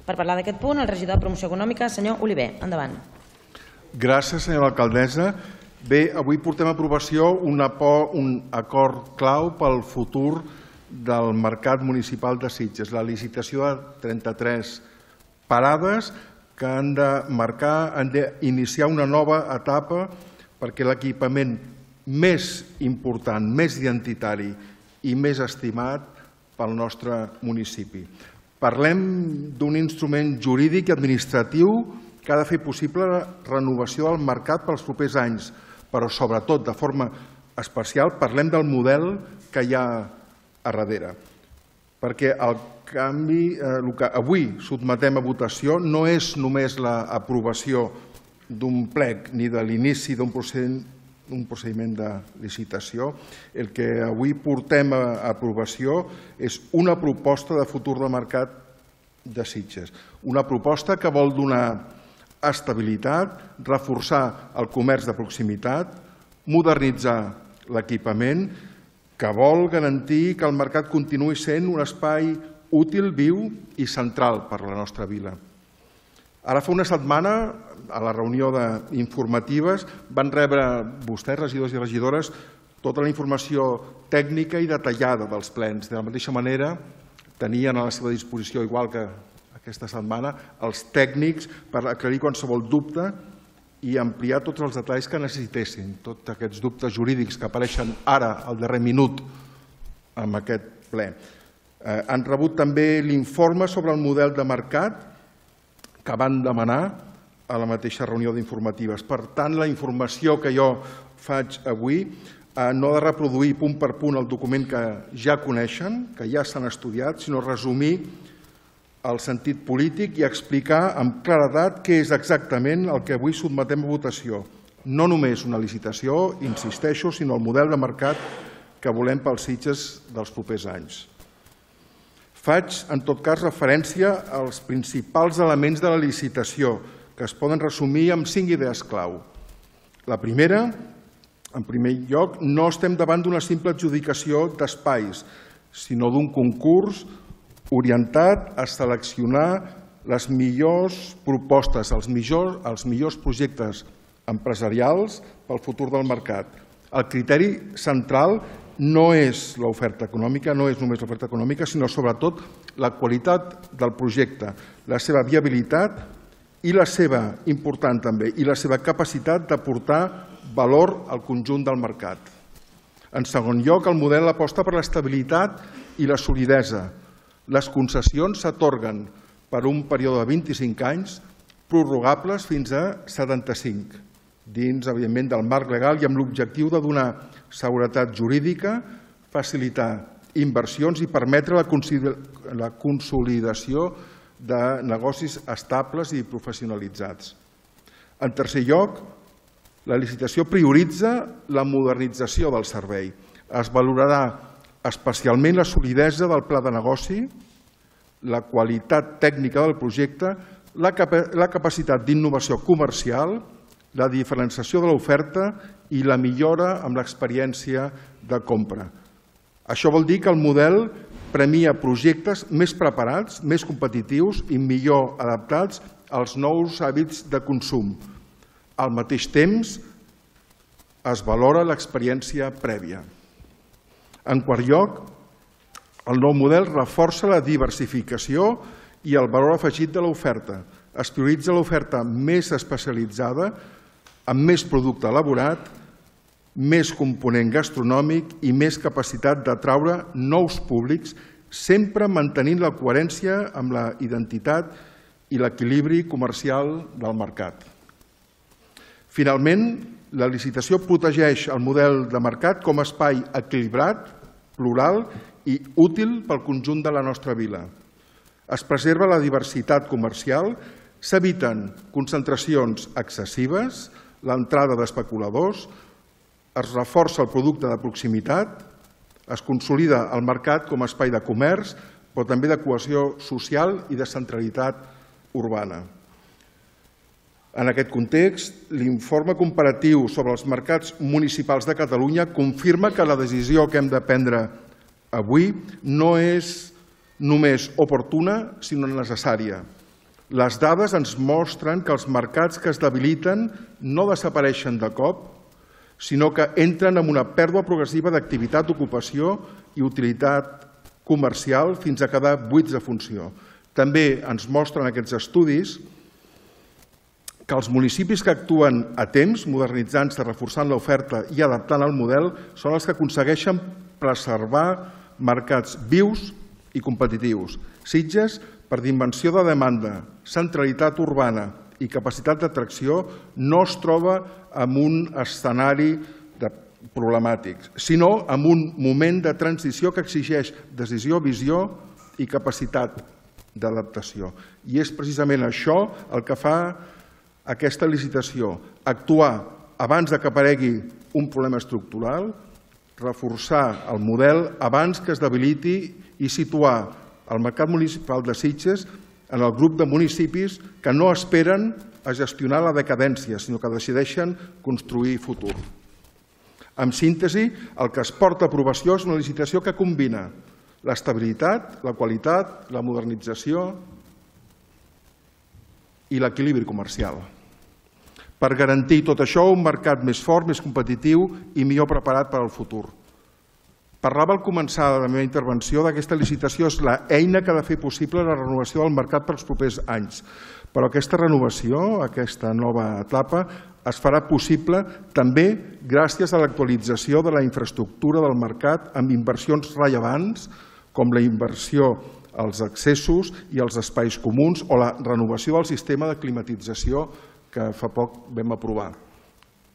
Per parlar d'aquest punt, el regidor de Promoció Econòmica, senyor Oliver. Endavant. Gràcies, senyora alcaldessa. Bé, avui portem a aprovació un acord clau pel futur del mercat municipal de Sitges, la licitació de 33 parades que han d'iniciar una nova etapa perquè l'equipament més important, més identitari i més estimat pel nostre municipi. Parlem d'un instrument jurídic i administratiu que ha de fer possible la renovació del mercat pels propers anys, però sobretot, de forma especial, parlem del model que hi ha a darrere. Perquè el que avui sotmetem a votació no és només l'aprovació d'un plec ni de l'inici d'un procediment de licitació. El que avui portem a aprovació és una proposta de futur del mercat de Sitges. Una proposta que vol donar estabilitat, reforçar el comerç de proximitat, modernitzar l'equipament, que vol garantir que el mercat continuï sent un espai útil, viu i central per a la nostra vila. Ara fa una setmana, a la reunió d'informatives, van rebre vostès, regidors i regidores, tota la informació tècnica i detallada dels plens. De la mateixa manera, tenien a la seva disposició, igual que aquesta setmana, els tècnics per aclarir qualsevol dubte i ampliar tots els detalls que necessitessin, tots aquests dubtes jurídics que apareixen ara, al darrer minut, en aquest ple. Han rebut també l'informe sobre el model de mercat que van demanar a la mateixa reunió d'informatives. Per tant, la informació que jo faig avui no ha de reproduir punt per punt el document que ja coneixen, que ja s'han estudiat, sinó resumir el sentit polític i explicar amb claredat què és exactament el que avui sotmetem a votació. No només una licitació, insisteixo, sinó el model de mercat que volem pels Sitges dels propers anys. Faig, en tot cas, referència als principals elements de la licitació, que es poden resumir amb 5 idees clau. La primera, en primer lloc, no estem davant d'una simple adjudicació d'espais, sinó d'un concurs orientat a seleccionar les millors propostes, els millors projectes empresarials pel futur del mercat. El criteri central no és l'oferta econòmica, no és només l'oferta econòmica, sinó sobretot la qualitat del projecte, la seva viabilitat i la seva, important també, i la seva capacitat d'aportar valor al conjunt del mercat. En segon lloc, el model aposta per l'estabilitat i la solidesa. Les concessions s'atorguen per un període de 25 anys, prorrogables fins a 75, dins, evidentment, del marc legal i amb l'objectiu de donar seguretat jurídica, facilitar inversions i permetre la consolidació de negocis estables i professionalitzats. En tercer lloc, la licitació prioritza la modernització del servei. Es valorarà especialment la solidesa del pla de negoci, la qualitat tècnica del projecte, la capacitat d'innovació comercial, la diferenciació de l'oferta i la millora amb l'experiència de compra. Això vol dir que el model premia projectes més preparats, més competitius i millor adaptats als nous hàbits de consum. Al mateix temps, es valora l'experiència prèvia. En quart lloc, el nou model reforça la diversificació i el valor afegit de l'oferta. Es prioritza l'oferta més especialitzada, amb més producte elaborat, més component gastronòmic i més capacitat d'atraure nous públics, sempre mantenint la coherència amb la identitat i l'equilibri comercial del mercat. Finalment, la licitació protegeix el model de mercat com a espai equilibrat, plural i útil pel conjunt de la nostra vila. Es preserva la diversitat comercial, s'eviten concentracions excessives, l'entrada d'especuladors, es reforça el producte de proximitat, es consolida el mercat com a espai de comerç, però també de cohesió social i de centralitat urbana. En aquest context, l'informe comparatiu sobre els mercats municipals de Catalunya confirma que la decisió que hem de prendre avui no és només oportuna, sinó necessària. Les dades ens mostren que els mercats que es debiliten no desapareixen de cop, sinó que entren en una pèrdua progressiva d'activitat, ocupació i utilitat comercial fins a quedar buits de funció. També ens mostren aquests estudis que els municipis que actuen a temps, modernitzant-se, reforçant l'oferta i adaptant el model, són els que aconsegueixen preservar mercats vius i competitius. Sitges, per dimensió de demanda, centralitat urbana i capacitat d'atracció, no es troba en un escenari problemàtic, sinó en un moment de transició que exigeix decisió, visió i capacitat d'adaptació. I és precisament això el que fa aquesta licitació, actuar abans que aparegui un problema estructural, reforçar el model abans que es debiliti i situar el mercat municipal de Sitges en el grup de municipis que no esperen a gestionar la decadència, sinó que decideixen construir futur. En síntesi, el que es porta a aprovació és una licitació que combina l'estabilitat, la qualitat, la modernització i l'equilibri comercial. Per garantir tot això, un mercat més fort, més competitiu i millor preparat per al futur. Parlava al començar la meva intervenció d'aquesta licitació és l'eina que ha de fer possible la renovació del mercat per als propers anys. Però aquesta renovació, aquesta nova etapa, es farà possible també gràcies a l'actualització de la infraestructura del mercat amb inversions rellevants com la inversió als accessos i als espais comuns o la renovació del sistema de climatització que fa poc vam aprovar,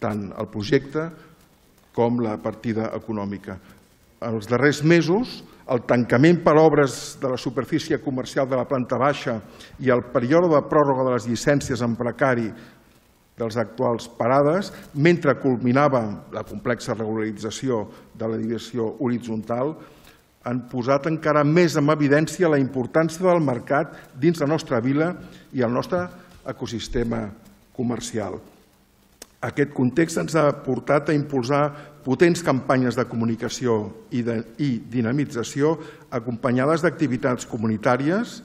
tant el projecte com la partida econòmica. Els darrers mesos, el tancament per obres de la superfície comercial de la planta baixa i el període de pròrroga de les llicències en precari dels actuals parades, mentre culminava la complexa regularització de la divisió horitzontal, han posat encara més en evidència la importància del mercat dins la nostra vila i el nostre ecosistema comercial. Aquest context ens ha portat a impulsar potents campanyes de comunicació i dinamització acompanyades d'activitats comunitàries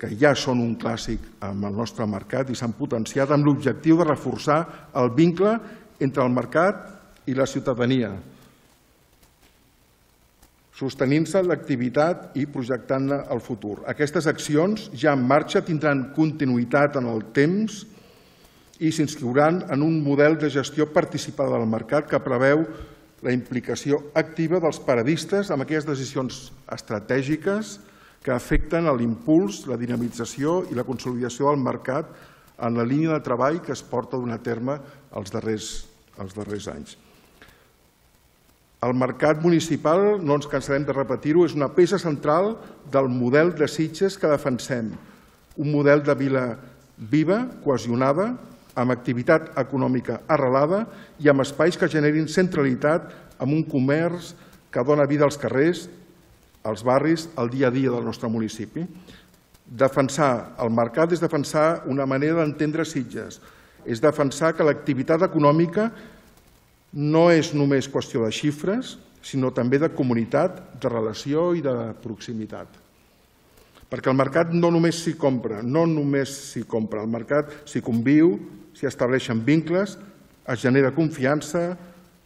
que ja són un clàssic en el nostre mercat i s'han potenciat amb l'objectiu de reforçar el vincle entre el mercat i la ciutadania, sostenint-se l'activitat i projectant-ne el futur. Aquestes accions ja en marxa tindran continuïtat en el temps i s'inscriuran en un model de gestió participada del mercat que preveu la implicació activa dels paradistes en aquelles decisions estratègiques que afecten l'impuls, la dinamització i la consolidació del mercat en la línia de treball que es porta a dur a terme els darrers anys. El mercat municipal, no ens cansarem de repetir-ho, és una peça central del model de Sitges que defensem. Un model de vila viva, cohesionada, amb activitat econòmica arrelada i amb espais que generin centralitat amb un comerç que dona vida als carrers, als barris, al dia a dia del nostre municipi. Defensar el mercat és defensar una manera d'entendre Sitges, és defensar que l'activitat econòmica no és només qüestió de xifres, sinó també de comunitat, de relació i de proximitat. Perquè el mercat no només s'hi compra, el mercat s'hi conviu, s'hi estableixen vincles, es genera confiança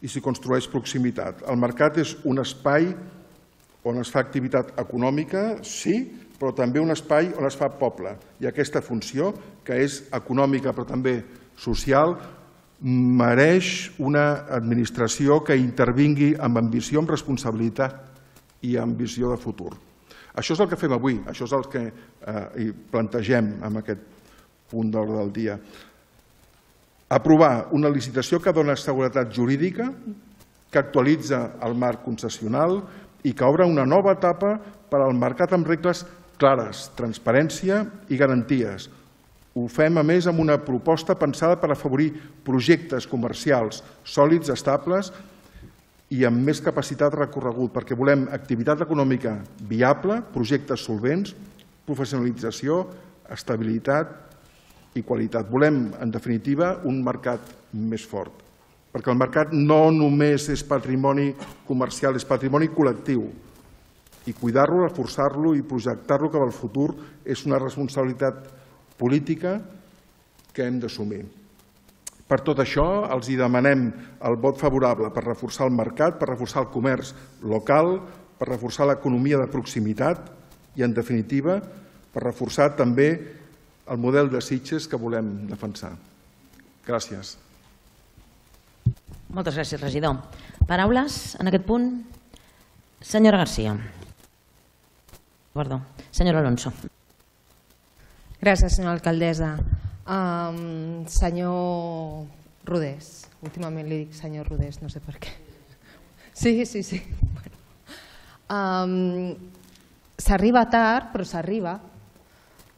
i s'hi construeix proximitat. El mercat és un espai on es fa activitat econòmica, sí, però també un espai on es fa poble. I aquesta funció, que és econòmica però també social, mereix una administració que intervingui amb ambició, amb responsabilitat i amb visió de futur. Això és el que fem avui, això és el que plantegem en aquest punt d'ordre del dia. Aprovar una licitació que dona seguretat jurídica, que actualitza el marc concessional i que obre una nova etapa per al mercat amb regles clares, transparència i garanties. Ho fem, a més, amb una proposta pensada per afavorir projectes comercials sòlids, estables i amb més capacitat de recorregut, perquè volem activitat econòmica viable, projectes solvents, professionalització, estabilitat i qualitat. Volem, en definitiva, un mercat més fort, perquè el mercat no només és patrimoni comercial, és patrimoni col·lectiu. I cuidar-lo, reforçar-lo i projectar-lo cap al futur és una responsabilitat política que hem d'assumir. Per tot això, els demanem el vot favorable per reforçar el mercat, per reforçar el comerç local, per reforçar l'economia de proximitat i, en definitiva, per reforçar també el model de Sitges que volem defensar. Gràcies. Moltes gràcies, regidor. Paraules en aquest punt? Senyora García. Perdó. Senyora Alonso. Gràcies, senyora alcaldessa. Senyor Rodés, últimament li dic senyor Rodés, no sé per què. Sí. S'arriba tard, però s'arriba.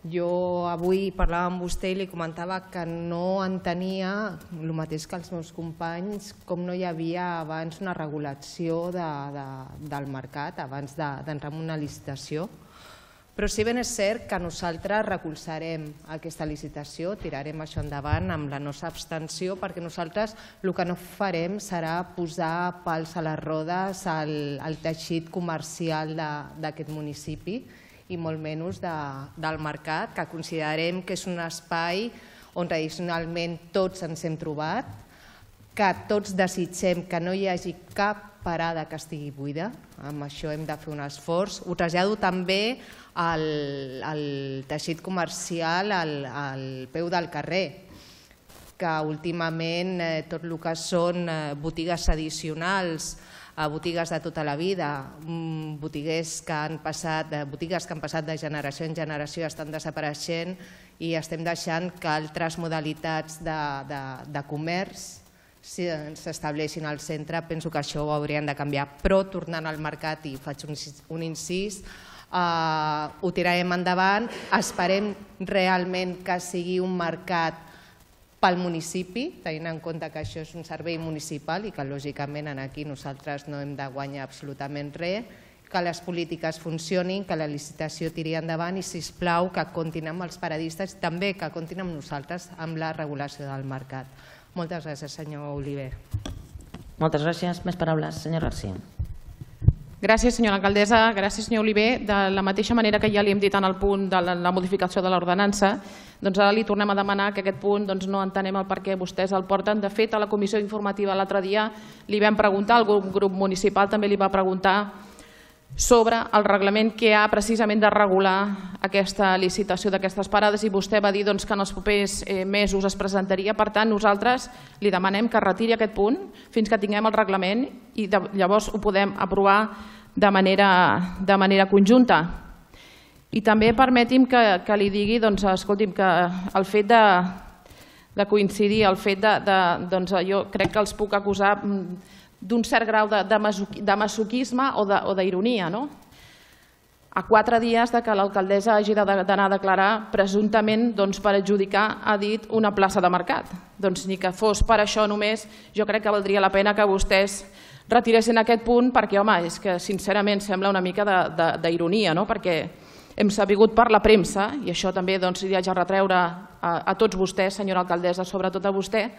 Jo avui parlava amb vostè i li comentava que no entenia el mateix que els meus companys, com no hi havia abans una regulació del mercat, abans d'entrar en una licitació. Però si ben és cert que nosaltres recolzarem aquesta licitació, tirarem això endavant amb la nostra abstenció, perquè nosaltres el que no farem serà posar pals a les rodes al teixit comercial d'aquest municipi i molt menys del mercat, que considerem que és un espai on tradicionalment tots ens hem trobat, que tots desitgem que no hi hagi cap parada que estigui buida, amb això hem de fer un esforç. Ho trasllado també al teixit comercial al peu del carrer, que últimament tot el que són botigues addicionals, botigues de tota la vida, botigues que han passat de generació en generació estan desapareixent i estem deixant que altres modalitats de comerç s'estableixin al centre. Penso que això ho haurien de canviar, però tornant al mercat, i faig un incís, ho tirarem endavant. Esperem realment que sigui un mercat pel municipi, tenint en compte que això és un servei municipal i que lògicament aquí nosaltres no hem de guanyar absolutament res, que les polítiques funcionin, que la licitació tiri endavant i, sisplau, que comptin amb els paradistes i també que comptin amb nosaltres amb la regulació del mercat. Moltes gràcies, senyor Oliver. Moltes gràcies. Més paraules. Senyor García. Gràcies, senyora alcaldessa. Gràcies, senyor Oliver. De la mateixa manera que ja li hem dit en el punt de la modificació de l'ordenança, doncs ara li tornem a demanar que aquest punt no entenem el per què vostès el porten. De fet, a la comissió informativa l'altre dia li vam preguntar, el grup municipal també li va preguntar sobre el reglament que ha precisament de regular aquesta licitació d'aquestes parades i vostè va dir que en els propers mesos es presentaria. Per tant, nosaltres li demanem que retiri aquest punt fins que tinguem el reglament i llavors ho podem aprovar de manera conjunta. I també permeti'm que li digui, escolti'm, que el fet de coincidir, el fet jo crec que els puc acusar d'un cert grau de masoquisme o d'ironia. A 4 dies que l'alcaldessa hagi d'anar a declarar presumptament per adjudicar, ha dit, una plaça de mercat. Doncs ni que fos per això només, jo crec que valdria la pena que vostès retiressin aquest punt perquè, home, és que sincerament sembla una mica d'ironia, perquè hem sabut per la premsa, i això també li haig de retreure a tots vostès, senyora alcaldessa, sobretot a vostè,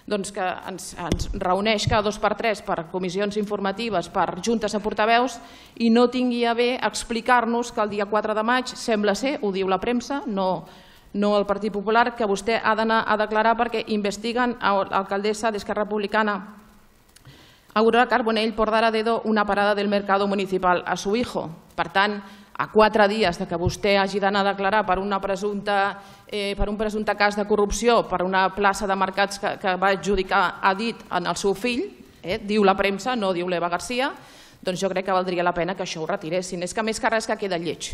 que ens reuneix cada 2 per 3 per comissions informatives, per juntes de portaveus, i no tingui a bé explicar-nos que el dia 4 de maig sembla ser, ho diu la premsa, no el Partit Popular, que vostè ha d'anar a declarar perquè investiguen l'alcaldessa d'Esquerra Republicana, Aurora Carbonell, por dar a dedo una parada del mercado municipal a su hijo. Per tant, a 4 dies que vostè hagi d'anar a declarar per un presumpte cas de corrupció, per una plaça de mercats que va adjudicar, ha dit, al seu fill, diu la premsa, no diu l'Eva García, doncs jo crec que valdria la pena que això ho retiressin. És que més que res que queda lleig.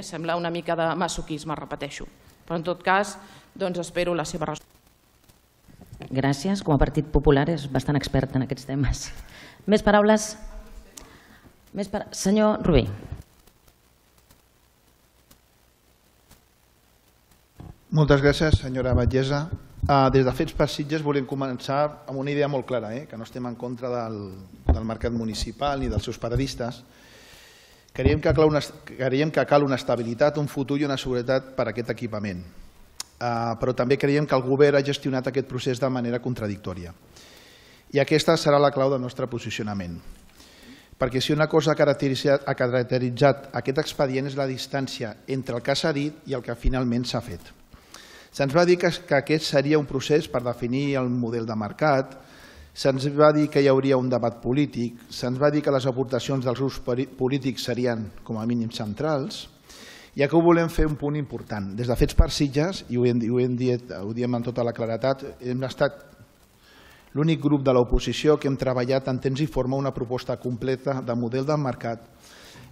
Sembla una mica de masoquisme, repeteixo. Però en tot cas, espero la seva resposta. Gràcies. Com a Partit Popular és bastant expert en aquests temes. Més paraules? Senyor Rubí. Moltes gràcies, senyora batllessa. Des de Fets per Sitges volem començar amb una idea molt clara, que no estem en contra del mercat municipal ni dels seus paradistes. Creiem que cal una estabilitat, un futur i una seguretat per a aquest equipament. Però també creiem que el govern ha gestionat aquest procés de manera contradictòria. I aquesta serà la clau del nostre posicionament. perquè si una cosa ha caracteritzat aquest expedient és la distància entre el que s'ha dit i el que finalment s'ha fet. Se'ns va dir que aquest seria un procés per definir el model de mercat, se'ns va dir que hi hauria un debat polític, se'ns va dir que les aportacions dels grups polítics serien com a mínim centrals, i aquí ho volem fer un punt important. Des de Fets per Sitges, i ho diem amb tota la claretat, hem estat l'únic grup de l'oposició que hem treballat en temps i forma una proposta completa de model del mercat.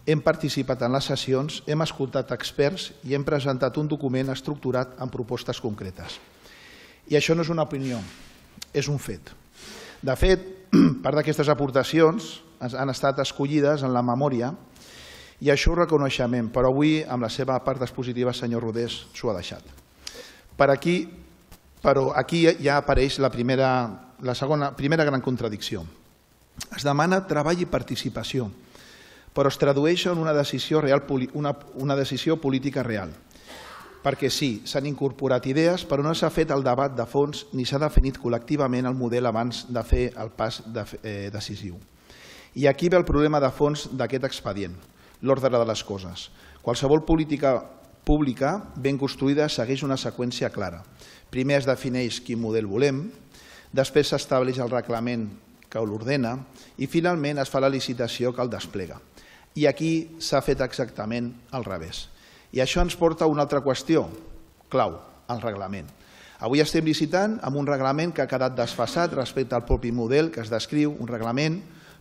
Hem participat en les sessions, hem escoltat experts i hem presentat un document estructurat amb propostes concretes. I això no és una opinió, és un fet. De fet, part d'aquestes aportacions han estat escollides en la memòria i això ho reconeixem, però avui, amb la seva part expositiva, senyor Rodés, s'ho ha deixat. Però aquí ja apareix la primera gran contradicció. Es demana treball i participació, però es tradueix en una decisió política real. Perquè sí, s'han incorporat idees, però no s'ha fet el debat de fons ni s'ha definit col·lectivament el model abans de fer el pas decisiu. I aquí ve el problema de fons d'aquest expedient, l'ordre de les coses. Qualsevol política pública ben construïda segueix una seqüència clara. Primer es defineix quin model volem, després s'estableix el reglament que l'ordena i finalment es fa la licitació que el desplega. I aquí s'ha fet exactament al revés. I això ens porta a una altra qüestió clau, el reglament. Avui estem licitant amb un reglament que ha quedat desfasat respecte al propi model que es descriu, un reglament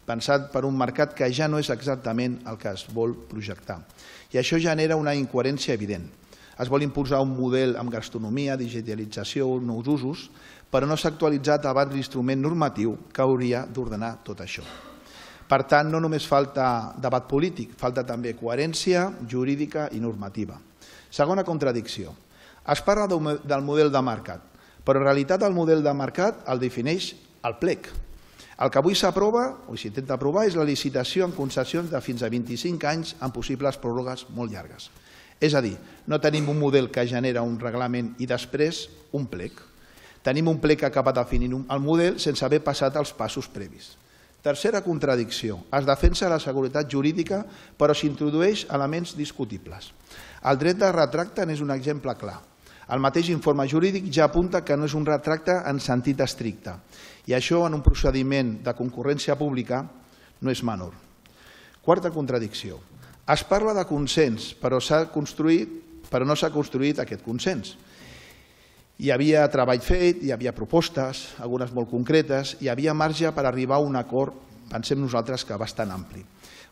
pensat per un mercat que ja no és exactament el que es vol projectar. I això genera una incoherència evident. Es vol imposar un model amb gastronomia, digitalització, nous usos, però no s'ha actualitzat abans l'instrument normatiu que hauria d'ordenar tot això. Per tant, no només falta debat polític, falta també coherència jurídica i normativa. Segona contradicció. Es parla del model de mercat, però en realitat el model de mercat el defineix el plec. El que avui s'aprova, o s'intenta aprovar, és la licitació en concessions de fins a 25 anys amb possibles pròrrogues molt llargues. És a dir, no tenim un model que genera un reglament i després un plec. Tenim un plec que acaba definint el model sense haver passat els passos previs. Tercera contradicció. Es defensa la seguretat jurídica però s'introdueix elements discutibles. El dret de retracte n'és un exemple clar. El mateix informe jurídic ja apunta que no és un retracte en sentit estricte i això en un procediment de concurrència pública no és menor. Quarta contradicció. Es parla de consens però no s'ha construït aquest consens. Hi havia treball fet, hi havia propostes, algunes molt concretes, hi havia marge per arribar a un acord, pensem nosaltres que bastant ampli.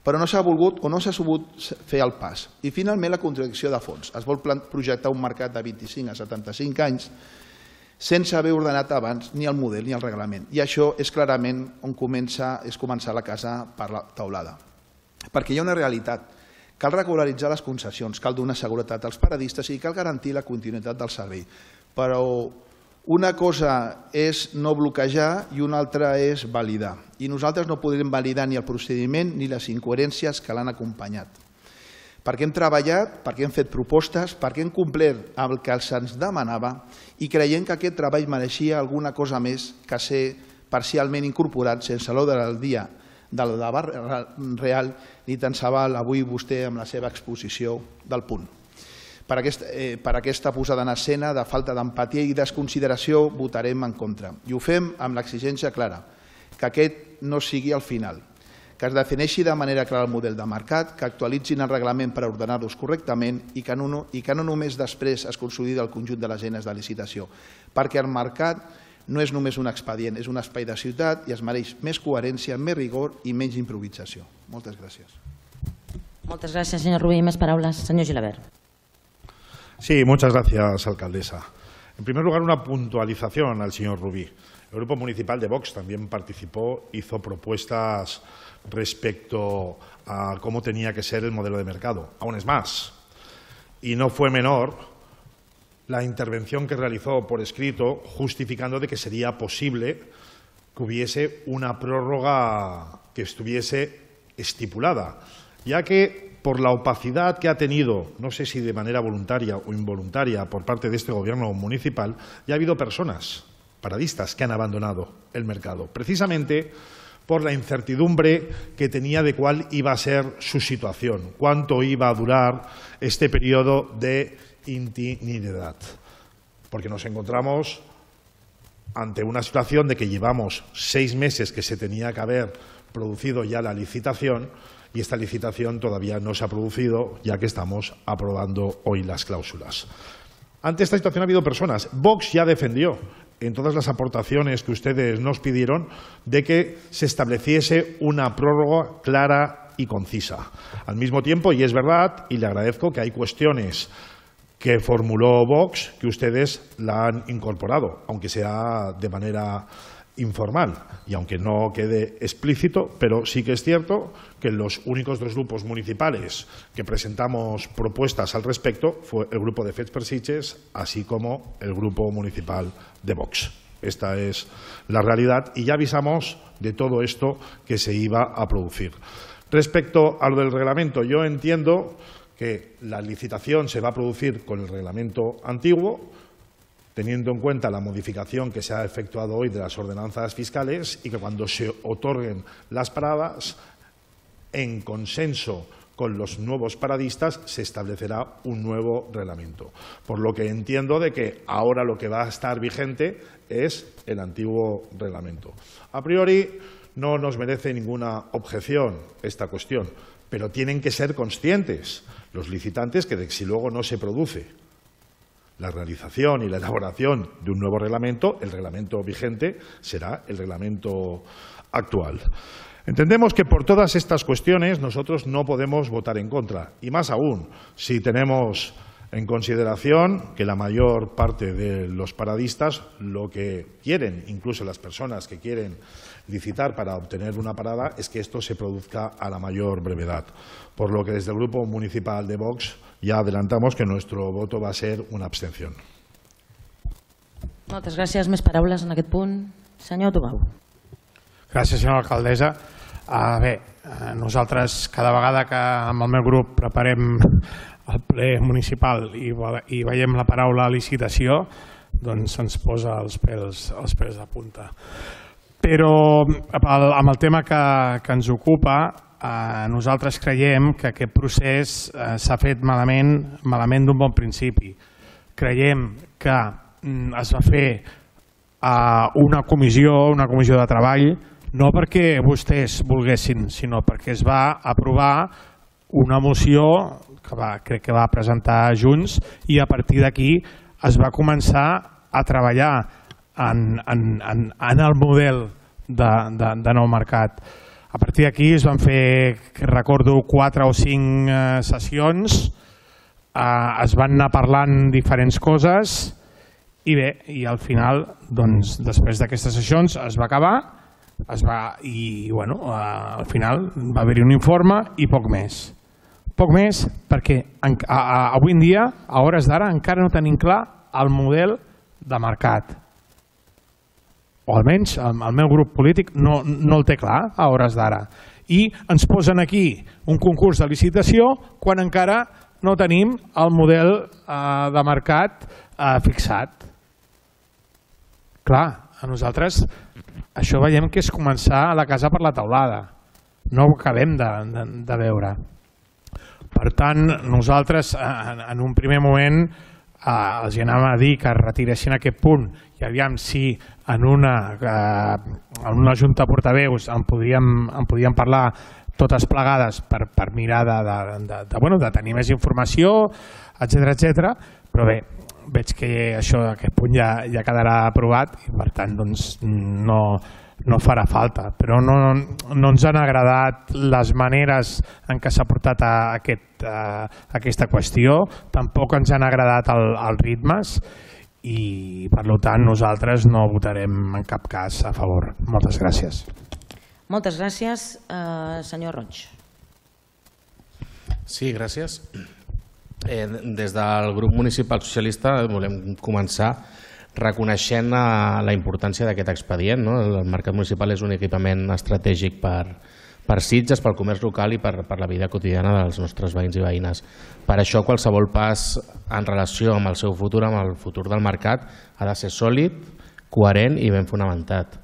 Però no s'ha volgut o no s'ha sabut fer el pas. I finalment la contradicció de fons. Es vol projectar un mercat de 25 a 75 anys sense haver ordenat abans ni el model ni el reglament. I això és clarament on començar la casa per la teulada. Perquè hi ha una realitat. Cal regularitzar les concessions, cal donar seguretat als paradistes i cal garantir la continuïtat del servei. Però una cosa és no bloquejar i una altra és validar. I nosaltres no podrem validar ni el procediment ni les incoherències que l'han acompanyat. Perquè hem treballat, perquè hem fet propostes, perquè hem complert el que se'ns demanava i creiem que aquest treball mereixia alguna cosa més que ser parcialment incorporat sense l'ordre del dia del debat real ni tan se val avui vostè amb la seva exposició del punt. Per aquesta posada en escena de falta d'empatia i desconsideració votarem en contra. I ho fem amb l'exigència clara, que aquest no sigui el final, que es defineixi de manera clara el model de mercat, que actualitzin el reglament per ordenar-los correctament i que no només després es consolidi el conjunt de les eines de licitació, perquè el mercat no és només un expedient, és un espai de ciutat i es mereix més coherència, més rigor i menys improvisació. Moltes gràcies. Moltes gràcies, senyor Rubí. Més paraules. Senyor Gilabert. Sí, muchas gracias, alcaldesa. En primer lugar, una puntualización al señor Rubí. El Grupo Municipal de Vox también participó, hizo propuestas respecto a cómo tenía que ser el modelo de mercado. Aún es más. Y no fue menor la intervención que realizó por escrito justificando de que sería posible que hubiese una prórroga que estuviese estipulada, ya que por la opacidad que ha tenido, no sé si de manera voluntaria o involuntaria por parte de este gobierno municipal, ya ha habido personas, paradistas, que han abandonado el mercado, precisamente por la incertidumbre que tenía de cuál iba a ser su situación, cuánto iba a durar este periodo de interinidad. Porque nos encontramos ante una situación de que llevamos 6 meses que se tenía que haber producido ya la licitación y esta licitación todavía no se ha producido, ya que estamos aprobando hoy las cláusulas. Ante esta situación ha habido personas. Vox ya defendió en todas las aportaciones que ustedes nos pidieron de que se estableciese una prórroga clara y concisa. Al mismo tiempo, y es verdad, y le agradezco que hay cuestiones que formuló Vox que ustedes la han incorporado, aunque sea de manera informal y aunque no quede explícito, pero sí que es cierto que los únicos 2 grupos municipales que presentamos propuestas al respecto fue el grupo de Fets per Sitges, así como el grupo municipal de Vox. Esta es la realidad y ya avisamos de todo esto que se iba a producir. Respecto a lo del reglamento, yo entiendo que la licitación se va a producir con el reglamento antiguo, teniendo en cuenta la modificación que se ha efectuado hoy de las ordenanzas fiscales y que cuando se otorguen las paradas, en consenso con los nuevos paradistas, se establecerá un nuevo reglamento. Por lo que entiendo de que ahora lo que va a estar vigente es el antiguo reglamento. A priori no nos merece ninguna objeción esta cuestión, pero tienen que ser conscientes los licitantes que si luego no se produce la realización y la elaboración de un nuevo reglamento, el reglamento vigente será el reglamento actual. Entendemos que por todas estas cuestiones nosotros no podemos votar en contra, y más aún si tenemos en consideración que la mayor parte de los paradistas lo que quieren, incluso las personas que quieren licitar para obtener una parada, es que esto se produzca a la mayor brevedad. Por lo que desde el Grupo Municipal de Vox ja adelantamos que nuestro voto va a ser una abstención. Moltes gràcies. Més paraules en aquest punt. Senyor Tubau. Gràcies, senyora alcaldessa. Bé, nosaltres cada vegada que amb el meu grup preparem el ple municipal i veiem la paraula licitació, doncs se'ns posa els pèls de punta. Però amb el tema que ens ocupa, nosaltres creiem que aquest procés s'ha fet malament d'un bon principi. Creiem que es va fer una comissió de treball, no perquè vostès volguessin, sinó perquè es va aprovar una moció que crec que va presentar Junts i a partir d'aquí es va començar a treballar en el model de nou mercat. A partir d'aquí es van fer, recordo, 4 o 5 sessions, es van anar parlant diferents coses i bé, i al final, després d'aquestes sessions es va acabar i al final va haver-hi un informe i poc més. Poc més perquè avui en dia, a hores d'ara, encara no tenim clar el model de mercat. O almenys el meu grup polític no el té clar a hores d'ara. I ens posen aquí un concurs de licitació quan encara no tenim el model de mercat fixat. Clar, a nosaltres això veiem que és començar la casa per la teulada. No ho acabem de veure. Per tant, nosaltres en un primer moment els anàvem a dir que retiressin aquest punt i aviam si en una junta de portaveus en podíem parlar totes plegades per mirar de tenir més informació, etcètera, però bé, veig que aquest punt ja quedarà aprovat i per tant no farà falta, però no ens han agradat les maneres en què s'ha portat aquesta qüestió, tampoc ens han agradat els ritmes i per tant nosaltres no votarem en cap cas a favor. Moltes gràcies. Moltes gràcies. Senyor Roig. Sí, gràcies. Des del grup municipal socialista volem començar reconeixent la importància d'aquest expedient. El mercat municipal és un equipament estratègic per Sitges, pel comerç local i per la vida quotidiana dels nostres veïns i veïnes. Per això qualsevol pas en relació amb el seu futur, amb el futur del mercat, ha de ser sòlid, coherent i ben fonamentat.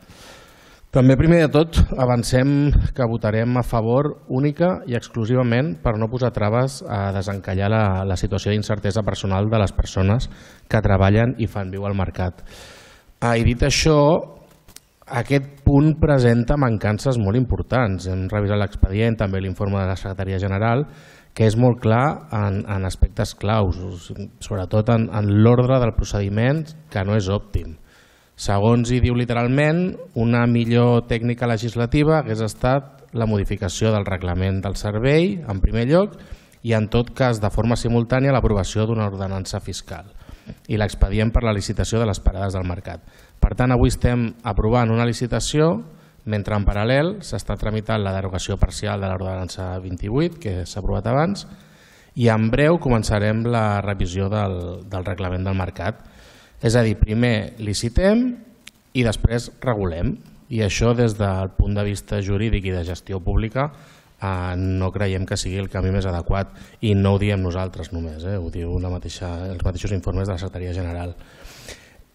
També, primer de tot, avancem que votarem a favor única i exclusivament per no posar traves a desencallar la situació d'incertesa personal de les persones que treballen i fan viu al mercat. I dit això, aquest punt presenta mancances molt importants. Hem revisat l'expedient, també l'informe de la Secretaria General, que és molt clar en aspectes claus, sobretot en l'ordre del procediment, que no és òptim. Segons hi diu literalment, una millor tècnica legislativa hagués estat la modificació del reglament del servei, en primer lloc, i en tot cas de forma simultània l'aprovació d'una ordenança fiscal i l'expedient per la licitació de les parades del mercat. Per tant, avui estem aprovant una licitació, mentre en paral·lel s'està tramitant la derogació parcial de l'ordenança 28, que s'ha aprovat abans, i en breu començarem la revisió del reglament del mercat. És a dir, primer licitem i després regulem. I això, des del punt de vista jurídic i de gestió pública, no creiem que sigui el camí més adequat. I no ho diem nosaltres només, ho diu els mateixos informes de la Secretaria General.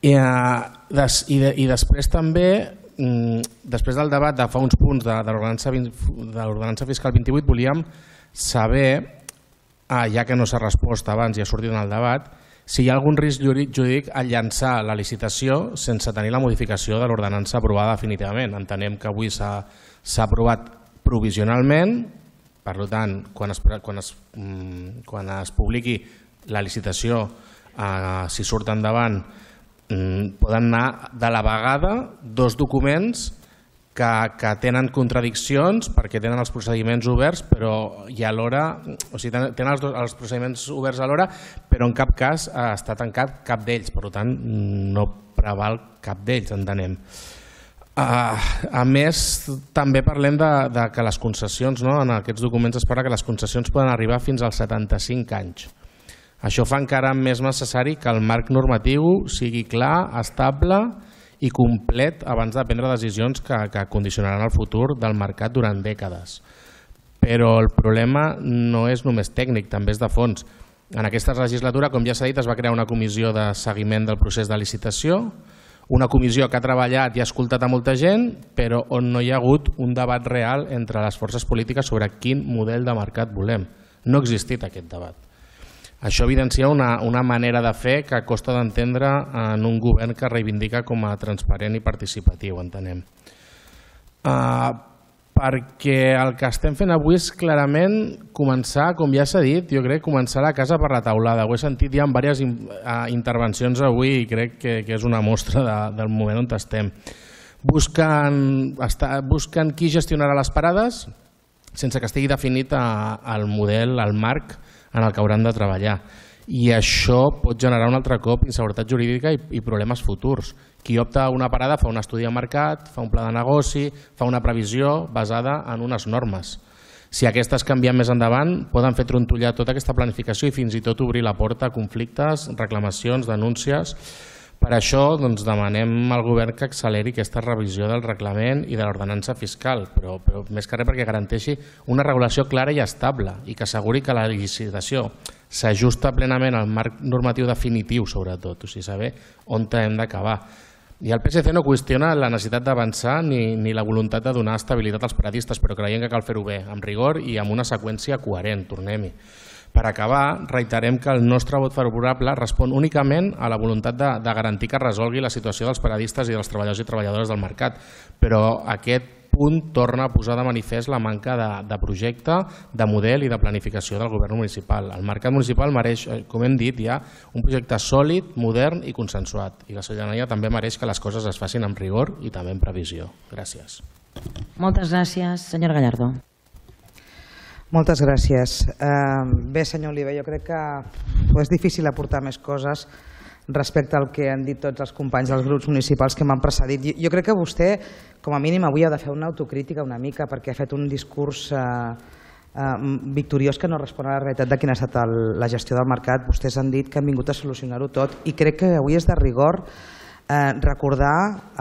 I després també, després del debat de fa uns punts de l'ordenança fiscal 28, volíem saber, ja que no s'ha respost abans i ha sortit en el debat, si hi ha algun risc jurídic a llançar la licitació sense tenir la modificació de l'ordenança aprovada definitivament. Entenem que avui s'ha aprovat provisionalment, per tant, quan es publiqui la licitació, si surt endavant, poden anar de la vegada dos documents que tenen contradiccions perquè tenen els procediments oberts, però i alhora, o sigui, tenen els procediments oberts alhora, però en cap cas està tancat cap d'ells, per tant no preval cap d'ells, entenem. A més, també parlem de que les concessions, en aquests documents es parla que les concessions poden arribar fins als 75 anys. Això fa encara més necessari que el marc normatiu sigui clar, estable i complet abans de prendre decisions que condicionaran el futur del mercat durant dècades. Però el problema no és només tècnic, també és de fons. En aquesta legislatura, com ja s'ha dit, es va crear una comissió de seguiment del procés de licitació, una comissió que ha treballat i ha escoltat a molta gent, però on no hi ha hagut un debat real entre les forces polítiques sobre quin model de mercat volem. No ha existit aquest debat. Això evidencia una manera de fer que costa d'entendre en un govern que reivindica com a transparent i participatiu, entenem. Perquè el que estem fent avui és clarament començar, com ja s'ha dit, jo crec, començar la casa per la taulada. Ho he sentit ja en diverses intervencions avui i crec que és una mostra del moment on estem. Busquen qui gestionarà les parades sense que estigui definit el model, el marc en el que hauran de treballar. I això pot generar un altre cop inseguretat jurídica i problemes futurs. Qui opta a una parada fa un estudi de mercat, fa un pla de negoci, fa una previsió basada en unes normes. Si aquestes canvien més endavant, poden fer trontollar tota aquesta planificació i fins i tot obrir la porta a conflictes, reclamacions, denúncies. Per això demanem al govern que acceleri aquesta revisió del reglament i de l'ordenança fiscal, però més que res perquè garanteixi una regulació clara i estable i que asseguri que la licitació s'ajusta plenament al marc normatiu definitiu, sobretot, o sigui, saber on hem d'acabar. I el PSC no qüestiona la necessitat d'avançar ni la voluntat de donar estabilitat als paradistes, però creiem que cal fer-ho bé, amb rigor i amb una seqüència coherent, tornem-hi. Per acabar, reiterem que el nostre vot favorable respon únicament a la voluntat de garantir que es resolgui la situació dels paradistes i dels treballadors i treballadores del mercat, però aquest punt torna a posar de manifest la manca de projecte, de model i de planificació del govern municipal. El mercat municipal mereix, com hem dit ja, un projecte sòlid, modern i consensuat, i la ciutadania també mereix que les coses es facin amb rigor i també amb previsió. Gràcies. Moltes gràcies. Senyora Gallardo. Moltes gràcies. Bé, senyor Oliver, jo crec que és difícil aportar més coses respecte al que han dit tots els companys dels grups municipals que m'han precedit. Jo crec que vostè, com a mínim, avui ha de fer una autocrítica una mica perquè ha fet un discurs victoriós que no respon a la realitat de quina ha estat la gestió del mercat. Vostès han dit que han vingut a solucionar-ho tot i crec que avui és de rigor recordar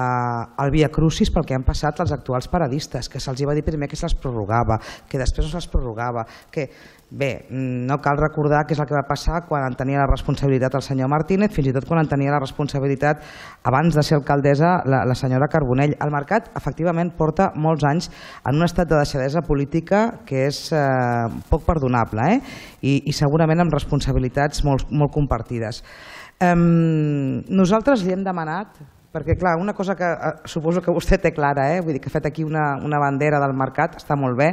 el Via Crucis pel que han passat els actuals paradistes, que se'ls va dir primer que se'ls prorrogava, que després no se'ls prorrogava, que bé, no cal recordar què és el que va passar quan en tenia la responsabilitat el senyor Martínez, fins i tot quan en tenia la responsabilitat abans de ser alcaldessa la senyora Carbonell. El mercat efectivament porta molts anys en un estat de deixadesa política que és poc perdonable i segurament amb responsabilitats molt compartides. Nosaltres li hem demanat, perquè clar, una cosa que suposo que vostè té clara, vull dir que ha fet aquí una bandera del mercat, està molt bé,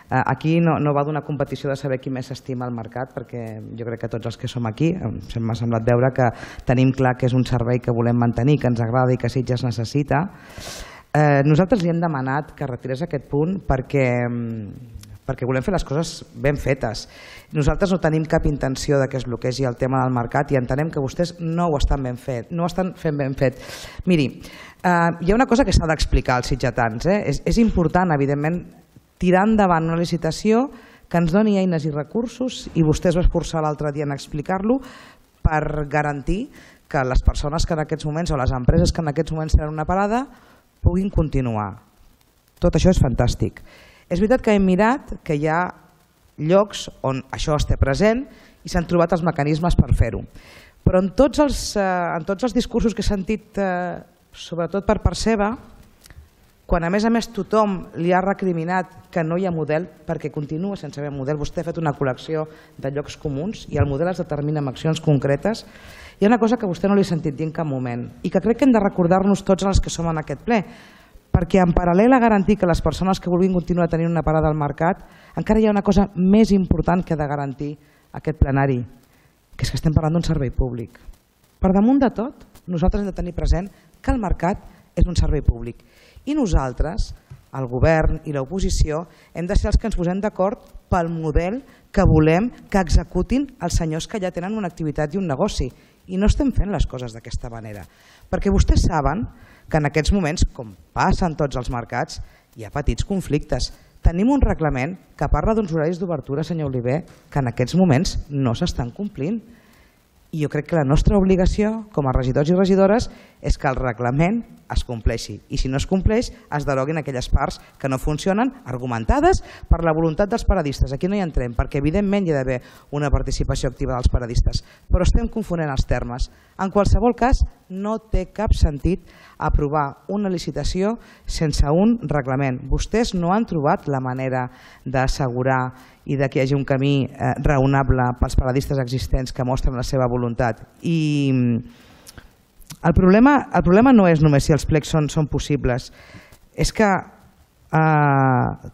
aquí no va d'una competició de saber qui més s'estima el mercat, perquè jo crec que tots els que som aquí m'ha semblat veure que tenim clar que és un servei que volem mantenir, que ens agrada i que Sitges necessita. Nosaltres li hem demanat que retirés aquest punt perquè volem fer les coses ben fetes. Nosaltres no tenim cap intenció que es bloquegi el tema del mercat i entenem que vostès no ho estan ben fet, no ho estan fent ben fet. Miri, hi ha una cosa que s'ha d'explicar als sitgetans. És important, evidentment, tirar endavant una licitació que ens doni eines i recursos, i vostè es va esforçar l'altre dia en explicar-lo, per garantir que les persones que en aquests moments, o les empreses que en aquests moments tenen una parada, puguin continuar. Tot això és fantàstic. És veritat que hem mirat que hi ha llocs on això esté present i s'han trobat els mecanismes per fer-ho. Però en tots els discursos que he sentit, sobretot per part seva, quan a més tothom li ha recriminat que no hi ha model, perquè continua sense haver model, vostè ha fet una col·lecció de llocs comuns i el model es determina amb accions concretes, hi ha una cosa que vostè no li ha sentit dir en cap moment i que crec que hem de recordar-nos tots els que som en aquest ple, perquè en paral·lel a garantir que les persones que vulguin continuar tenint una parada al mercat, encara hi ha una cosa més important que ha de garantir aquest plenari, que és que estem parlant d'un servei públic. Per damunt de tot, nosaltres hem de tenir present que el mercat és un servei públic i nosaltres, el govern i l'oposició, hem de ser els que ens posem d'acord pel model que volem que executin els senyors que ja tenen una activitat i un negoci. I no estem fent les coses d'aquesta manera. Perquè vostès saben que en aquests moments, com passa en tots els mercats, hi ha petits conflictes. Tenim un reglament que parla d'uns horaris d'obertura, senyor Oliver, que en aquests moments no s'estan complint. I jo crec que la nostra obligació, com a regidors i regidores, és que el reglament es compleixi. I si no es compleix, es deroguin aquelles parts que no funcionen, argumentades per la voluntat dels paradistes. Aquí no hi entrem, perquè evidentment hi ha d'haver una participació activa dels paradistes. Però estem confonent els termes. En qualsevol cas, no té cap sentit aprovar una licitació sense un reglament. Vostès no han trobat la manera d'assegurar i que hi hagi un camí raonable pels paradistes existents que mostren la seva voluntat. I el problema no és només si els plecs són possibles, és que,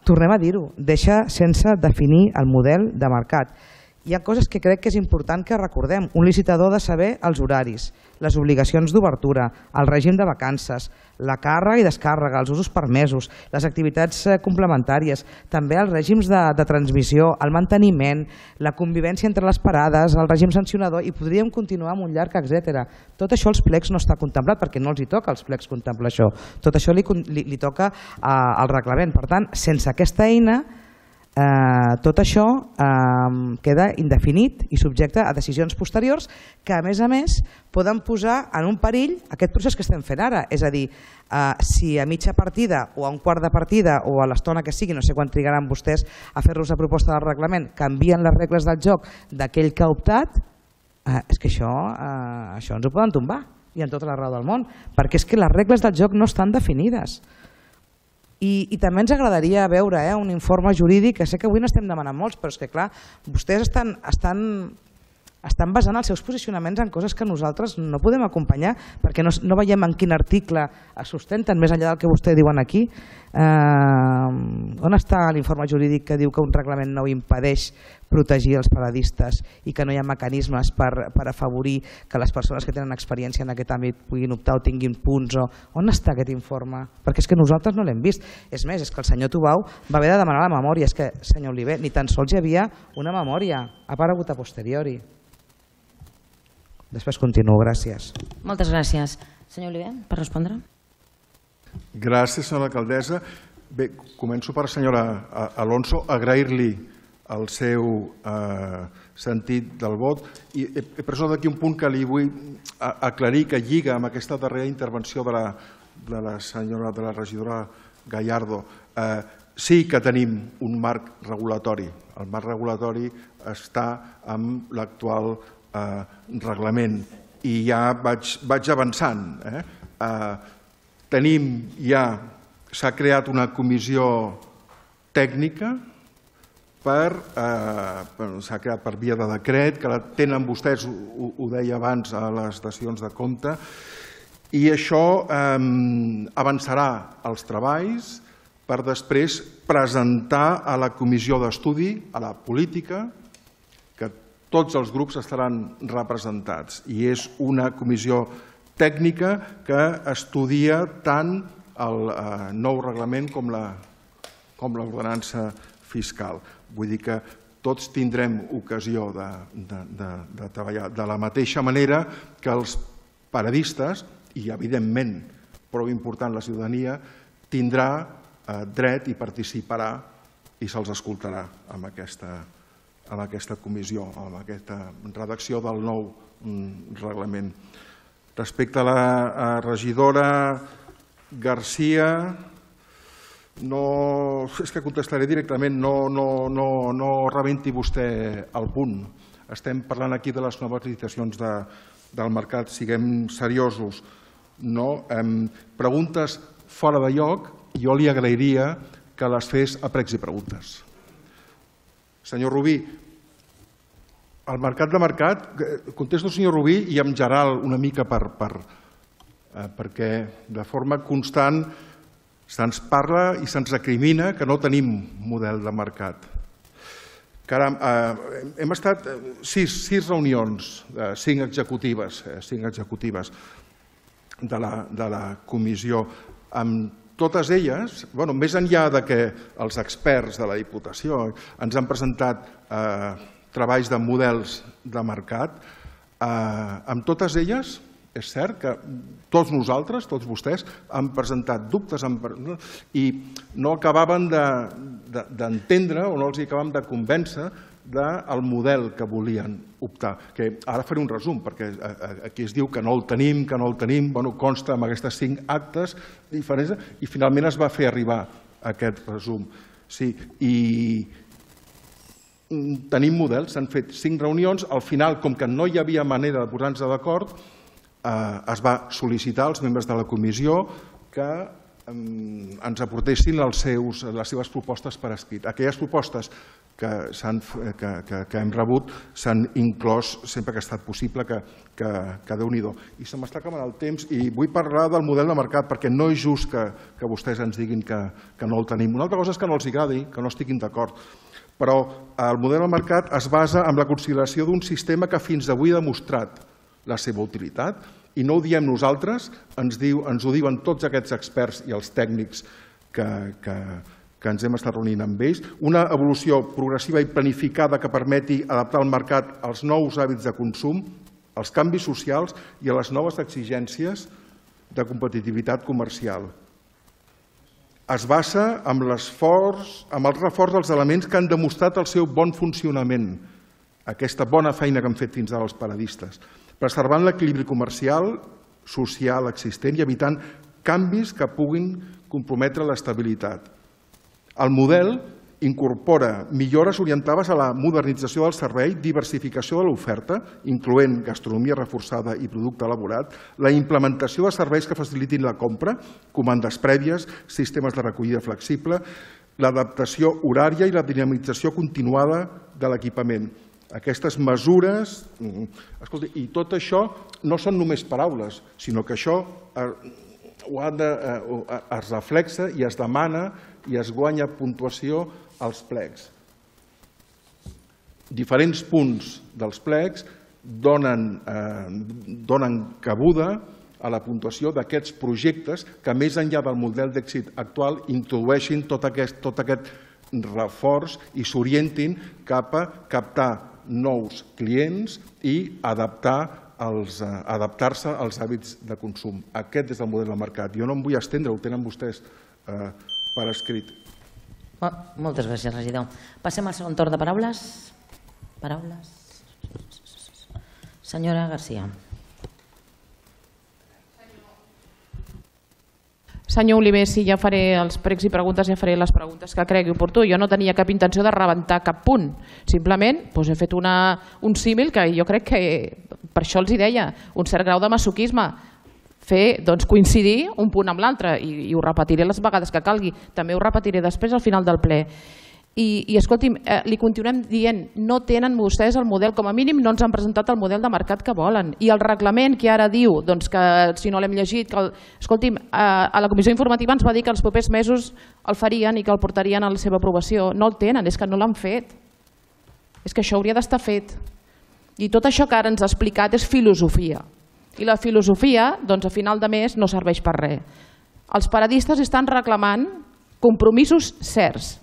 tornem a dir-ho, deixa sense definir el model de mercat. Hi ha coses que crec que és important que recordem. Un licitador ha de saber els horaris, les obligacions d'obertura, el règim de vacances, la càrrega i descàrrega, els usos permesos, les activitats complementàries, també els règims de transmissió, el manteniment, la convivència entre les parades, el règim sancionador, i podríem continuar amb un llarg etcètera. Tot això als plecs no està contemplat perquè no els hi toca als plecs contemplar això. Tot això li toca al reglament. Per tant, sense aquesta eina, tot això queda indefinit i subjecte a decisions posteriors que a més poden posar en un perill aquest procés que estem fent ara. És a dir, si a mitja partida o a un quart de partida o a l'estona que sigui, no sé quan trigaran vostès a fer-los la proposta del reglament, canvien les regles del joc d'aquell que ha optat, és que això ens ho poden tombar i en tota la raó del món, perquè és que les regles del joc no estan definides. I també ens agradaria veure un informe jurídic, que sé que avui n'estem demanant molts, però és que clar, vostès estan basant els seus posicionaments en coses que nosaltres no podem acompanyar perquè no veiem en quin article es sustenten, més enllà del que vostès diuen aquí. On està l'informe jurídic que diu que un reglament nou impedeix protegir els paradistes i que no hi ha mecanismes per afavorir que les persones que tenen experiència en aquest àmbit puguin optar o tinguin punts? On està aquest informe? Perquè és que nosaltres no l'hem vist. És més, és que el senyor Tubau va haver de demanar la memòria. És que, senyor Oliver, ni tan sols hi havia una memòria. Ha aparegut a posteriori. Després continuo, gràcies. Moltes gràcies. Senyor Oliver, per respondre. Gràcies, senyora alcaldessa. Bé, començo per la senyora Alonso, agrair-li el seu sentit del vot. I he pres d'aquí un punt que li vull aclarir, que lliga amb aquesta darrera intervenció de la senyora, de la regidora Gallardo. Sí que tenim un marc regulatori. El marc regulatori està amb l'actual reglament i ja vaig avançant. S'ha creat una comissió tècnica, s'ha creat per via de decret, que la tenen vostès, ho deia abans, a les dacions de compte, i això avançarà els treballs per després presentar a la comissió d'estudi, a la política, que tots els grups estaran representats. I és una comissió tècnica que estudia tant el nou reglament com l'ordenança fiscal. Vull dir que tots tindrem ocasió de treballar de la mateixa manera que els paradistes, i evidentment, prou important la ciutadania, tindrà dret i participarà i se'ls escoltarà amb aquesta comissió, amb aquesta redacció del nou reglament. Respecte a la regidora Garcia, és que contestaré directament, no rebenti vostè el punt. Estem parlant aquí de les noves licitacions del mercat, siguem seriosos. Preguntes fora de lloc, jo li agrairia que les fes a pregs i preguntes. Senyor Rubí, el mercat de mercat, contesto al senyor Rubí i en general una mica perquè de forma constant se'ns parla i se'ns recrimina que no tenim model de mercat. Caram, hem estat 6 reunions, 5 executives de la comissió, amb totes elles, més enllà que els experts de la Diputació ens han presentat treballs de models de mercat, amb totes elles és cert que tots nosaltres, tots vostès, han presentat dubtes i no acabaven d'entendre o no els acabàvem de convèncer del model que volien optar. Ara faré un resum, perquè aquí es diu que no el tenim, consta amb aquestes 5 actes diferents i finalment es va fer arribar aquest resum. Sí, i tenim models, s'han fet 5 reunions, al final, com que no hi havia manera de posar-nos d'acord, es va sol·licitar als membres de la comissió que ens aportessin les seves propostes per escrit. Aquelles propostes que hem rebut s'han inclòs sempre que ha estat possible, que Déu-n'hi-do. I se m'està acabant el temps i vull parlar del model de mercat perquè no és just que vostès ens diguin que no el tenim. Una altra cosa és que no els agradi, que no estiguin d'acord. Però el model de mercat es basa en la consideració d'un sistema que fins avui ha demostrat la seva utilitat, i no ho diem nosaltres, ens ho diuen tots aquests experts i els tècnics que ens hem estat reunint amb ells, una evolució progressiva i planificada que permeti adaptar el mercat als nous hàbits de consum, als canvis socials i a les noves exigències de competitivitat comercial. Es basa en el reforç dels elements que han demostrat el seu bon funcionament, aquesta bona feina que han fet fins ara els paradistes, preservant l'equilibri comercial, social existent i evitant canvis que puguin comprometre l'estabilitat. El model incorpora millores orientades a la modernització del servei, diversificació de l'oferta, incloent gastronomia reforçada i producte elaborat, la implementació de serveis que facilitin la compra, comandes prèvies, sistemes de recollida flexible, l'adaptació horària i la dinamització continuada de l'equipament. Aquestes mesures, i tot això no són només paraules, sinó que això es reflexa i es demana i es guanya puntuació als plecs. Diferents punts dels plecs donen cabuda a la puntuació d'aquests projectes que, més enllà del model d'èxit actual, introdueixin tot aquest reforç i s'orientin cap a captar nous clients i adaptar-se als hàbits de consum. Aquest és el model de mercat. Jo no em vull estendre, ho tenen vostès per escrit. Moltes gràcies, regidor. Passem al segon torn de paraules. Senyora Garcia. Senyor Oliver, sí, ja faré els pregs i preguntes, ja faré les preguntes que cregui oportú. Jo no tenia cap intenció de rebentar cap punt. Simplement he fet un símil que jo crec que, per això els hi deia, un cert grau de masoquisme. Fer coincidir un punt amb l'altre i ho repetiré les vegades que calgui. També ho repetiré després al final del ple. I escolti'm, li continuem dient, no tenen vostès el model, com a mínim no ens han presentat el model de mercat que volen. I el reglament que ara diu, que si no l'hem llegit, escolti'm, a la comissió informativa ens va dir que els propers mesos el farien i que el portarien a la seva aprovació. No el tenen, és que no l'han fet. És que això hauria d'estar fet. I tot això que ara ens ha explicat és filosofia. I la filosofia, a final de mes, no serveix per res. Els paradistes estan reclamant compromisos certs,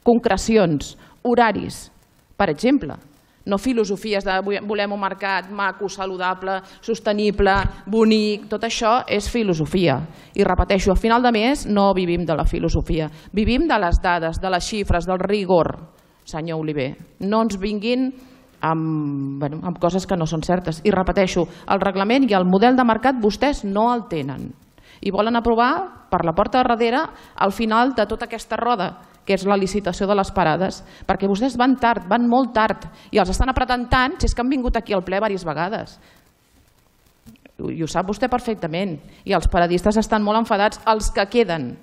concrecions, horaris, per exemple. No filosofies de volem un mercat maco, saludable, sostenible, bonic, tot això és filosofia. I repeteixo, a final de mes no vivim de la filosofia, vivim de les dades, de les xifres, del rigor, senyor Oliver. No ens vinguin amb coses que no són certes. I repeteixo, el reglament i el model de mercat vostès no el tenen. I volen aprovar per la porta de darrere al final de tota aquesta roda, que és la licitació de les parades, perquè vostès van tard, van molt tard, i els estan apretant tant si és que han vingut aquí al ple diverses vegades. I ho sap vostè perfectament. I els paradistes estan molt enfadats, els que queden.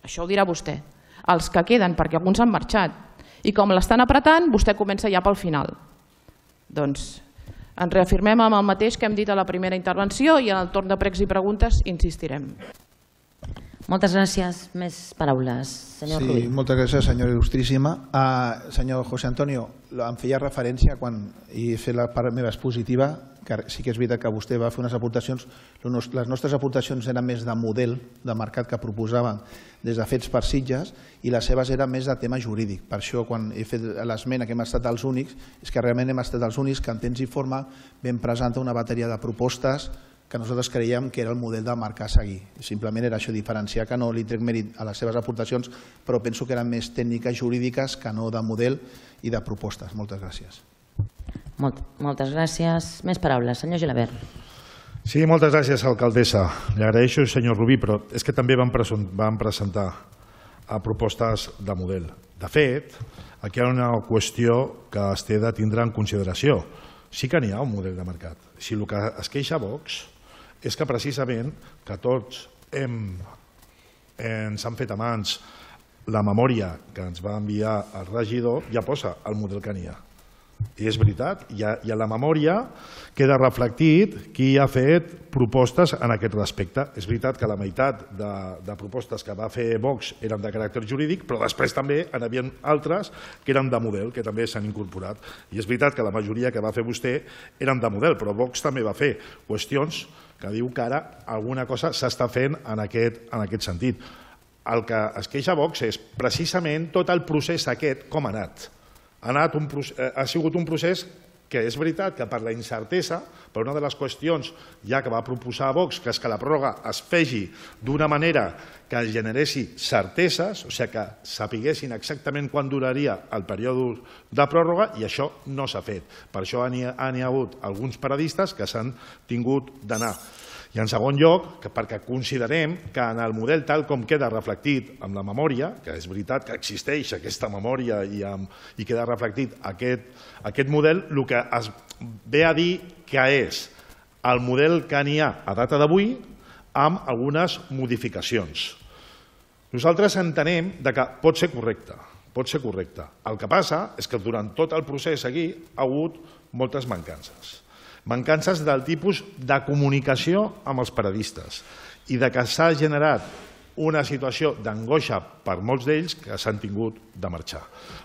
Això ho dirà vostè. Els que queden, perquè alguns han marxat. I com l'estan apretant, vostè comença ja pel final. Doncs ens reafirmem amb el mateix que hem dit a la primera intervenció i en el torn de pregs i preguntes insistirem. Moltes gràcies. Més paraules. Senyor Rubí. Sí, moltes gràcies, senyora il·lustríssima. Senyor José Antonio, em feia referència quan he fet la part meva expositiva, que sí que és veritat que vostè va fer unes aportacions. Les nostres aportacions eren més de model de mercat que proposàvem des de Fets per Sitges i les seves eren més de tema jurídic. Per això, quan he fet l'esmena que hem estat els únics, és que realment hem estat els únics que en temps i forma vam presentar una bateria de propostes que nosaltres creiem que era el model de mercat a seguir. Simplement era això, diferenciar, que no li trec mèrit a les seves aportacions, però penso que eren més tècniques jurídiques que no de model i de propostes. Moltes gràcies. Moltes gràcies. Més paraules. Senyor Gilabert. Sí, moltes gràcies, alcaldessa. Li agraeixo, senyor Rubí, però és que també vam presentar propostes de model. De fet, aquí hi ha una qüestió que es té de tindre en consideració. Sí que n'hi ha un model de mercat. Si el que es queixa Vox és que precisament que tots ens han fet a mans la memòria que ens va enviar el regidor, ja posa el model que n'hi ha. I és veritat, i a la memòria queda reflectit qui ha fet propostes en aquest respecte. És veritat que la meitat de propostes que va fer Vox eren de caràcter jurídic, però després també n'hi havia altres que eren de model, que també s'han incorporat. I és veritat que la majoria que va fer vostè eren de model, però Vox també va fer qüestions que diu que ara alguna cosa s'està fent en aquest sentit. El que es queixa Vox és precisament tot el procés aquest com ha anat. Ha sigut un procés que és veritat que per la incertesa, per una de les qüestions ja que va proposar Vox, que és que la pròrroga es fegi d'una manera que generessi certeses, o sigui que sapiguessin exactament quan duraria el període de pròrroga, i això no s'ha fet. Per això n'hi ha hagut alguns paradistes que s'han tingut d'anar. I en segon lloc, perquè considerem que en el model tal com queda reflectit amb la memòria, que és veritat que existeix aquesta memòria i queda reflectit aquest model, el que es ve a dir que és el model que n'hi ha a data d'avui amb algunes modificacions. Nosaltres entenem que pot ser correcte. El que passa és que durant tot el procés aquí ha hagut moltes mancances. Mancances del tipus de comunicació amb els paradistes i que s'ha generat una situació d'angoixa per molts d'ells que s'han tingut de marxar.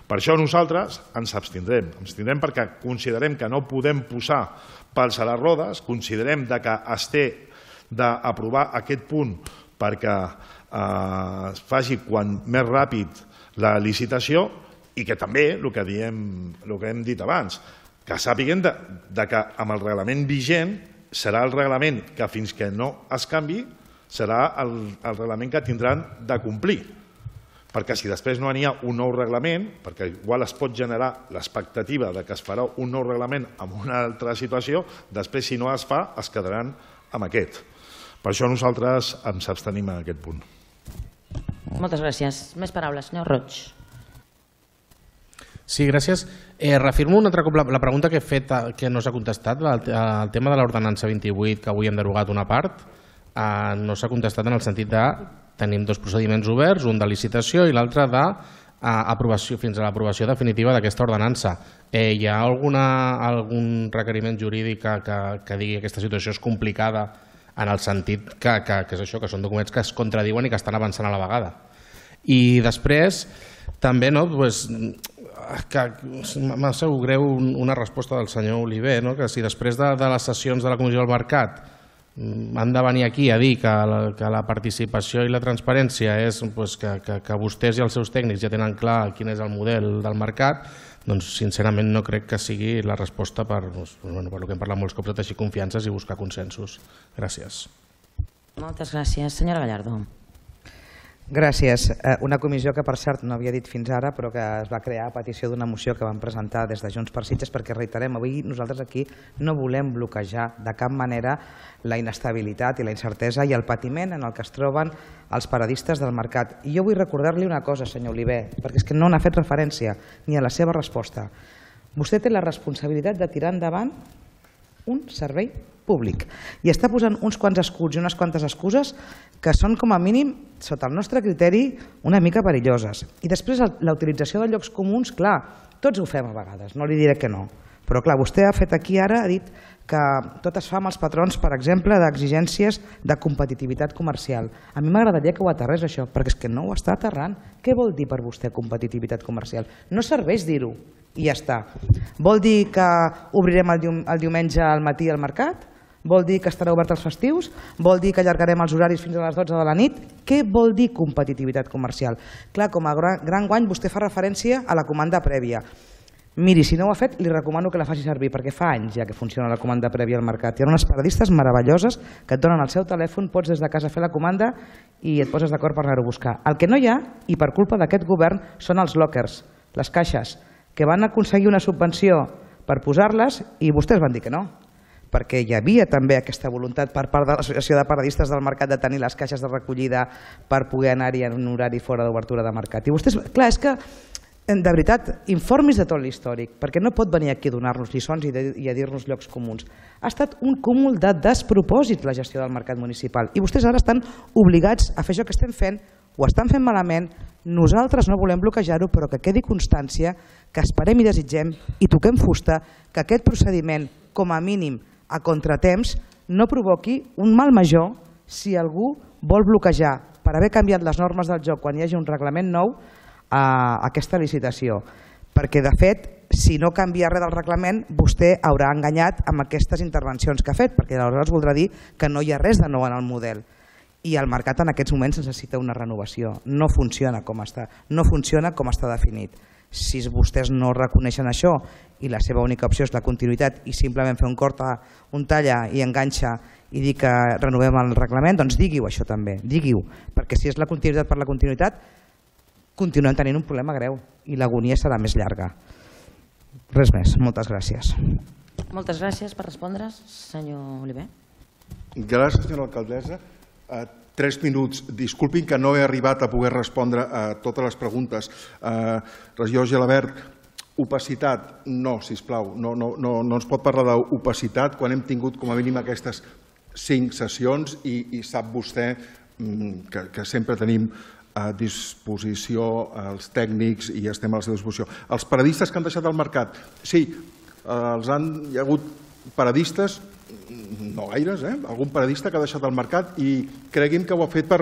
Per això nosaltres ens abstindrem. Ens abstindrem perquè considerem que no podem posar pals a les rodes, considerem que es té d'aprovar aquest punt perquè es faci quan més ràpid la licitació i que també, el que hem dit abans, que sàpiguen que amb el reglament vigent serà el reglament que fins que no es canvi serà el reglament que tindran de complir. perquè si després no n'hi ha un nou reglament, perquè igual es pot generar l'expectativa de que es farà un nou reglament en una altra situació, després si no es fa es quedaran amb aquest. Per això nosaltres ens abstenim en aquest punt. Moltes gràcies. Més paraules, senyor Roig. Sí, gràcies. Reafirmo un altre cop la pregunta que he fet que no s'ha contestat, el tema de l'ordenança 28, que avui hem derogat una part, no s'ha contestat en el sentit de tenim dos procediments oberts, un de licitació i l'altre d'aprovació fins a l'aprovació definitiva d'aquesta ordenança. Hi ha algun requeriment jurídic que digui que aquesta situació és complicada en el sentit que és això, que són documents que es contradiuen i que estan avançant a la vegada. I després també m'ha sabut greu una resposta del senyor Oliver, que si després de les sessions de la Comissió del Mercat han de venir aquí a dir que la participació i la transparència és que vostès i els seus tècnics ja tenen clar quin és el model del mercat, doncs sincerament no crec que sigui la resposta per el que hem parlat molts cops, de teixir confiances i buscar consensos. Gràcies. Moltes gràcies. Senyora Gallardo. Gràcies. Una comissió que, per cert, no havia dit fins ara, però que es va crear a petició d'una moció que vam presentar des de Junts per Sitges, perquè, reiterem, avui nosaltres aquí no volem bloquejar de cap manera la inestabilitat i la incertesa i el patiment en el que es troben els paradistes del mercat. I jo vull recordar-li una cosa, senyor Oliver, perquè és que no n'ha fet referència ni a la seva resposta. Vostè té la responsabilitat de tirar endavant un servei públic i està posant uns quants escuts i unes quantes excuses que són, com a mínim, sota el nostre criteri, una mica perilloses. I després la utilització de llocs comuns, clar, tots ho fem a vegades, no li diré que no, però clar, vostè ha fet aquí ara, ha dit que tot es fa amb els patrons, per exemple, d'exigències de competitivitat comercial. A mi m'agradaria que ho aterrés això, perquè és que no ho està aterrant. Què vol dir per vostè competitivitat comercial? No serveix dir-ho i ja està. Vol dir que obrirem el diumenge al matí al mercat? Vol dir que estarà obert els festius? Vol dir que allargarem els horaris fins a les 12 de la nit? Què vol dir competitivitat comercial? Clar, com a gran guany vostè fa referència a la comanda prèvia. Miri, si no ho ha fet, li recomano que la faci servir, perquè fa anys ja que funciona la comanda prèvia al mercat. Hi ha unes paradistes meravelloses que et donen el seu telèfon, pots des de casa fer la comanda i et poses d'acord per anar-ho a buscar. El que no hi ha, i per culpa d'aquest govern, són els lockers, les caixes, que van aconseguir una subvenció per posar-les i vostès van dir que no, perquè hi havia també aquesta voluntat per part de l'Associació de Paradistes del Mercat de tenir les caixes de recollida per poder anar-hi en un horari fora d'obertura de mercat. I vostès, clar, és que de veritat, informis de tot l'històric, perquè no pot venir aquí a donar-nos lliçons i a dir-nos llocs comuns. Ha estat un cúmul de despropòsits la gestió del mercat municipal i vostès ara estan obligats a fer això que estem fent, ho estan fent malament, nosaltres no volem bloquejar-ho, però que quedi constància, que esperem i desitgem i toquem fusta que aquest procediment, com a mínim a contratemps, no provoqui un mal major si algú vol bloquejar per haver canviat les normes del joc quan hi hagi un reglament nou a aquesta licitació, perquè de fet si no canvia res del reglament vostè haurà enganyat amb aquestes intervencions que ha fet, perquè aleshores voldrà dir que no hi ha res de nou en el model i el mercat en aquests moments necessita una renovació, no funciona com està, no funciona com està definit. Si vostès no reconeixen això i la seva única opció és la continuïtat i simplement fer un talla i enganxa i dir que renovem el reglament, doncs digui-ho això també, digui-ho, perquè si és la continuïtat per la continuïtat continuem tenint un problema greu i l'agonia serà més llarga. Res més. Moltes gràcies. Moltes gràcies per respondre, senyor Oliver. Gràcies, senyora alcaldessa. 3 minuts. Disculpin que no he arribat a poder respondre a totes les preguntes. Regidor Gelabert, opacitat, no, sisplau. No ens pot parlar d'opacitat quan hem tingut com a mínim aquestes 5 sessions i sap vostè que sempre tenim a disposició els tècnics i estem a la seva disposició. Els paradistes que han deixat el mercat, sí, hi ha hagut paradistes, no gaires, algun paradista que ha deixat el mercat i cregui'm que ho ha fet per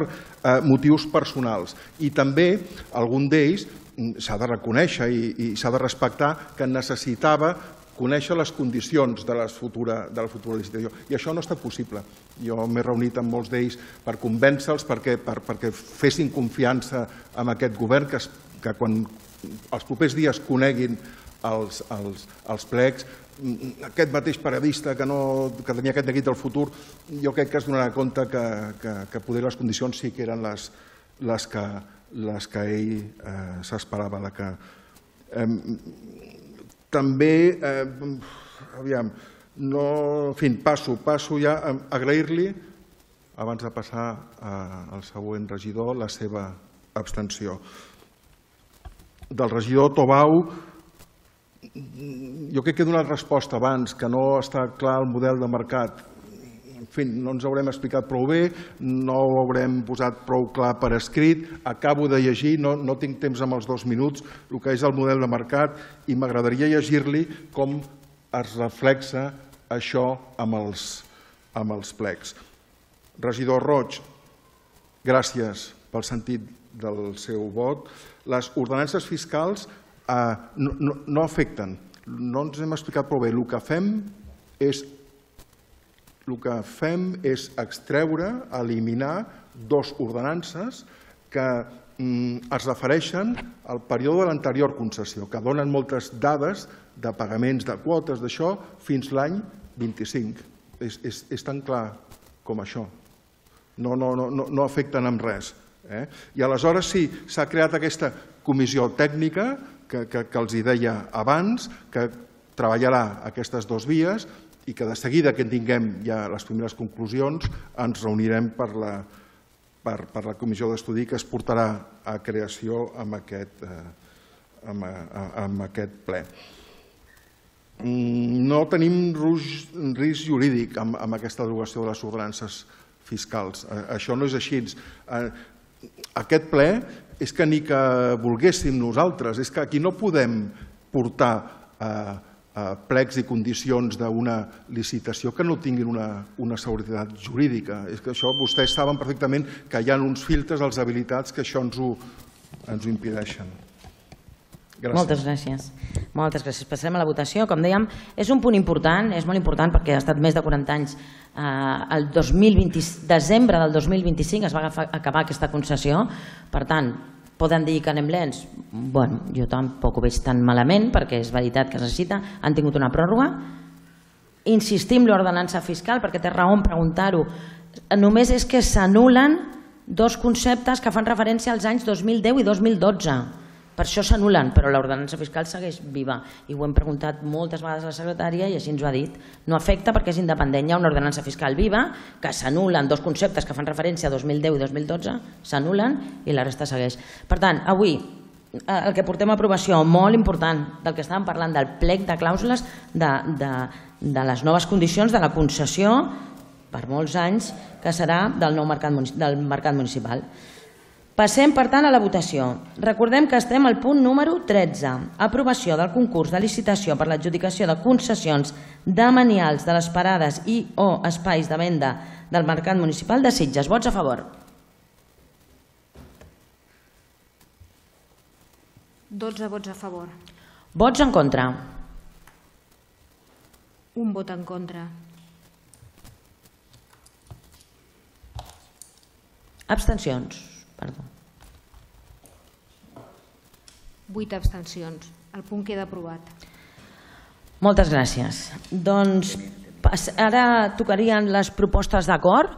motius personals. I també algun d'ells s'ha de reconèixer i s'ha de respectar que necessitava conèixer les condicions de la futura licitació. I això no ha estat possible. Jo m'he reunit amb molts d'ells per convèncer-los perquè fessin confiança en aquest govern, que quan els propers dies coneguin els plecs, aquest mateix paradista que tenia aquest neguit del futur, jo crec que es donarà compte que poder les condicions sí que eren les que les que ell s'esperava de que... També, aviam, en fi, passo ja a agrair-li, abans de passar al següent regidor, la seva abstenció. Del regidor Tobau, jo crec que he donat resposta abans, que no està clar el model de mercat. En fi, no ens haurem explicat prou bé, no ho haurem posat prou clar per escrit, acabo de llegir, no tinc temps amb els 2 minuts, el que és el model de mercat, i m'agradaria llegir-li com es reflexa això amb els plecs. Regidor Roig, gràcies pel sentit del seu vot. Les ordenances fiscals no afecten, no ens hem explicat prou bé. El que fem és extreure, eliminar 2 ordenances que es refereixen al període de l'anterior concessió, que donen moltes dades de pagaments de quotes d'això fins l'any 25. És tan clar com això. No afecten en res. I aleshores sí, s'ha creat aquesta comissió tècnica que els deia abans, que treballarà aquestes 2 vies i que de seguida que tinguem ja les primeres conclusions ens reunirem per la comissió d'estudi que es portarà a creació amb aquest ple. No tenim risc jurídic amb aquesta derogació de les ordenances fiscals. Això no és així. Aquest ple és que ni que volguéssim nosaltres, és que aquí no podem portar plecs i condicions d'una licitació que no tinguin una seguretat jurídica. És que això vostès saben perfectament que hi ha uns filtres als habilitats que això ens ho impedeixen. Moltes gràcies. Moltes gràcies. Passarem a la votació. Com dèiem, és un punt important, és molt important perquè ha estat més de 40 anys. El desembre del 2025 es va acabar aquesta concessió. Per tant, poden dir que anem lents? Bueno, jo tampoc ho veig tan malament perquè és veritat que es necessita. Han tingut una pròrroga. Insistim en l'ordenança fiscal perquè té raó en preguntar-ho. Només és que s'anulen 2 conceptes que fan referència als anys 2010 i 2012. Per això s'anulen, però l'ordenança fiscal segueix viva. I ho hem preguntat moltes vegades a la secretària i així ens ho ha dit. No afecta perquè és independent. Hi ha una ordenança fiscal viva que s'anulen 2 conceptes que fan referència a 2010 i 2012, s'anulen i la resta segueix. Per tant, avui el que portem a aprovació, molt important, del que estàvem parlant, del plec de clàusules de les noves condicions de la concessió per molts anys que serà del nou mercat municipal. Passem, per tant, a la votació. Recordem que estem al punt número 13, aprovació del concurs de licitació per l'adjudicació de concessions demanials de les parades i o espais de venda del Mercat Municipal de Sitges. Vots a favor? 12 vots a favor. Vots en contra? Un vot en contra. Abstencions? Perdó. 8 abstencions. El punt queda aprovat. Moltes gràcies. Doncs ara tocarien les propostes d'acord.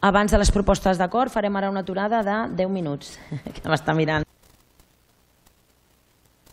Abans de les propostes d'acord farem ara una aturada de 10 minuts, que m'està mirant